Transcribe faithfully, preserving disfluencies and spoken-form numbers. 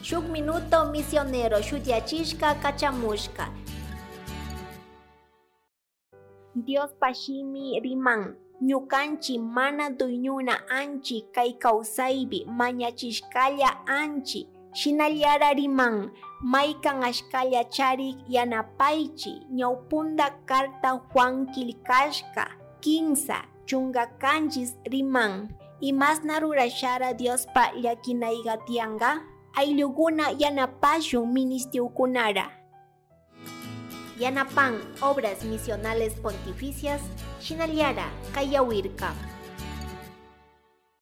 Shuk minuto misionero shutiachishka kachamushka. Dios pashimi riman. Ñukanchi mana duyñuna anchi kay kawsaypi mañachishkalla anchi. Shinallara riman maykan ashkalla charik yanapaychi ñawpunda carta Juan killkashka kinsa chunga kanchis riman imasna rurashara Diospa llakinayga tiyanka ayllukuna yanapashun ministiukunara. Yanapan Obras Misionales Pontificias, Shinallara, Kayawirka.